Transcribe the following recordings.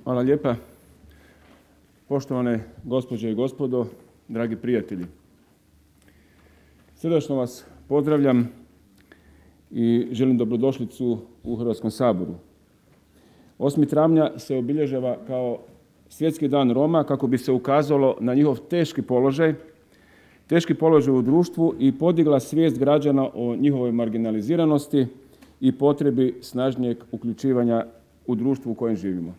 Hvala lijepa. Poštovane gospođe i gospodo, dragi prijatelji. Srdačno vas pozdravljam i želim dobrodošlicu u Hrvatskom saboru. 8. travnja se obilježava kao Svjetski dan Roma kako bi se ukazalo na njihov teški položaj u društvu i podigla svijest građana o njihovoj marginaliziranosti i potrebi snažnijeg uključivanja u društvu u kojem živimo.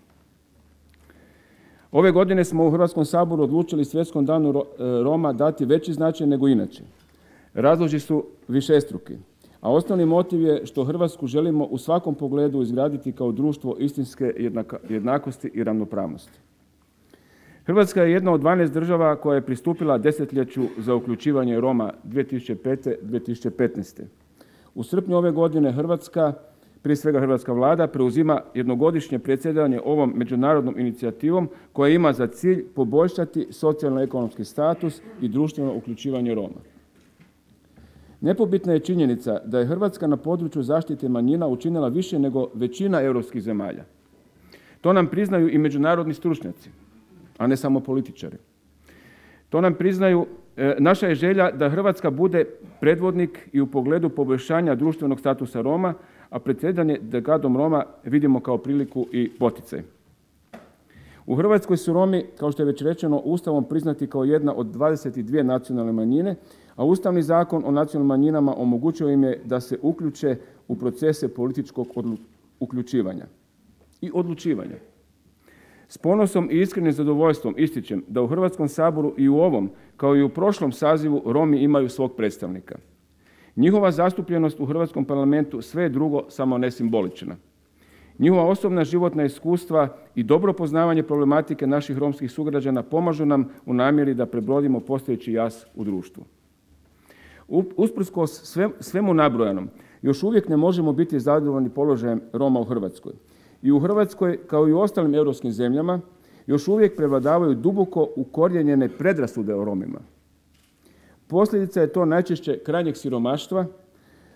Ove godine smo u Hrvatskom saboru odlučili Svjetskom danu Roma dati veći značaj nego inače. Razlozi su višestruki, a osnovni motiv je što Hrvatsku želimo u svakom pogledu izgraditi kao društvo istinske jednakosti i ravnopravnosti. Hrvatska je jedna od 12 država koja je pristupila desetljeću za uključivanje Roma 2005-2015. U srpnju ove godine Hrvatska, prije svega hrvatska vlada, preuzima jednogodišnje predsjedanje ovom međunarodnom inicijativom koja ima za cilj poboljšati socijalno-ekonomski status i društveno uključivanje Roma. Nepobitna je činjenica da je Hrvatska na području zaštite manjina učinila više nego većina europskih zemalja. To nam priznaju i međunarodni stručnjaci, a ne samo političari. To nam priznaju. Naša je želja da Hrvatska bude predvodnik i u pogledu poboljšanja društvenog statusa Roma, a predsjedanje dekadom Roma vidimo kao priliku i poticaj. U Hrvatskoj su Romi, kao što je već rečeno, Ustavom priznati kao jedna od 22 nacionalne manjine, a Ustavni zakon o nacionalnim manjinama omogućio im je da se uključe u procese političkog uključivanja i odlučivanja. S ponosom i iskrenim zadovoljstvom ističem da u Hrvatskom saboru i u ovom, kao i u prošlom sazivu, Romi imaju svog predstavnika. Njihova zastupljenost u Hrvatskom parlamentu sve je drugo, samo ne simbolična. Njihova osobna životna iskustva i dobro poznavanje problematike naših romskih sugrađana pomažu nam u namjeri da prebrodimo postojeći jaz u društvu. Usprkos svemu nabrojanom, još uvijek ne možemo biti zadovoljni položajem Roma u Hrvatskoj. I u Hrvatskoj, kao i u ostalim europskim zemljama, još uvijek prevladavaju duboko ukorijenjene predrasude o Romima. Posljedica je to najčešće krajnjeg siromaštva,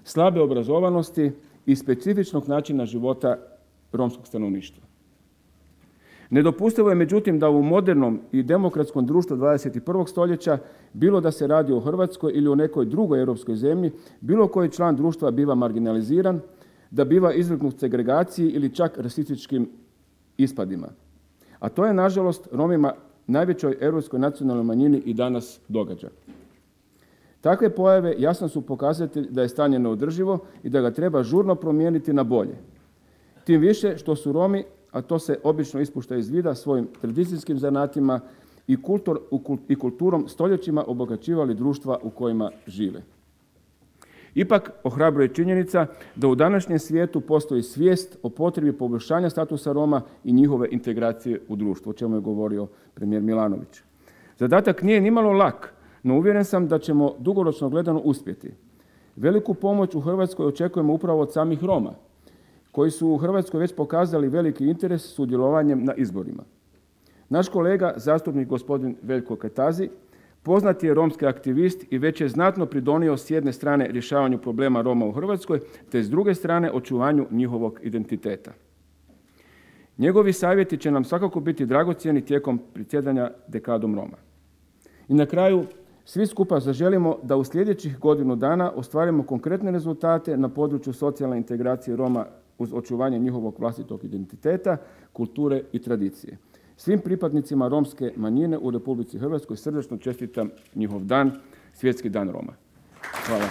slabe obrazovanosti i specifičnog načina života romskog stanovništva. Nedopustivo je međutim da u modernom i demokratskom društvu 21. stoljeća, bilo da se radi o Hrvatskoj ili o nekoj drugoj europskoj zemlji, bilo koji član društva biva marginaliziran, da biva izvrgnut segregaciji ili čak rasističkim ispadima. A to je, nažalost, Romima, najvećoj europskoj nacionalnoj manjini, i danas događa. Takve pojave jasno su pokazatelj da je stanje neodrživo i da ga treba žurno promijeniti na bolje. Tim više što su Romi, a to se obično ispušta iz vida, svojim tradicijskim zanatima i kulturom stoljećima obogaćivali društva u kojima žive. Ipak ohrabruje činjenica da u današnjem svijetu postoji svijest o potrebi poboljšanja statusa Roma i njihove integracije u društvu, o čemu je govorio premijer Milanović. Zadatak nije nimalo lak, no uvjeren sam da ćemo dugoročno gledano uspjeti. Veliku pomoć u Hrvatskoj očekujemo upravo od samih Roma, koji su u Hrvatskoj već pokazali veliki interes sudjelovanjem na izborima. Naš kolega, zastupnik gospodin Veljko Kajtazi, poznat je romski aktivist i već je znatno pridonio s jedne strane rješavanju problema Roma u Hrvatskoj, te s druge strane očuvanju njihovog identiteta. Njegovi savjeti će nam svakako biti dragocjeni tijekom predsjedanja dekadom Roma. I na kraju, svi skupa zaželimo da u sljedećih godinu dana ostvarimo konkretne rezultate na području socijalne integracije Roma uz očuvanje njihovog vlastitog identiteta, kulture i tradicije. Svim pripadnicima romske manjine u Republici Hrvatskoj srdačno čestitam njihov dan, Svjetski dan Roma. Hvala.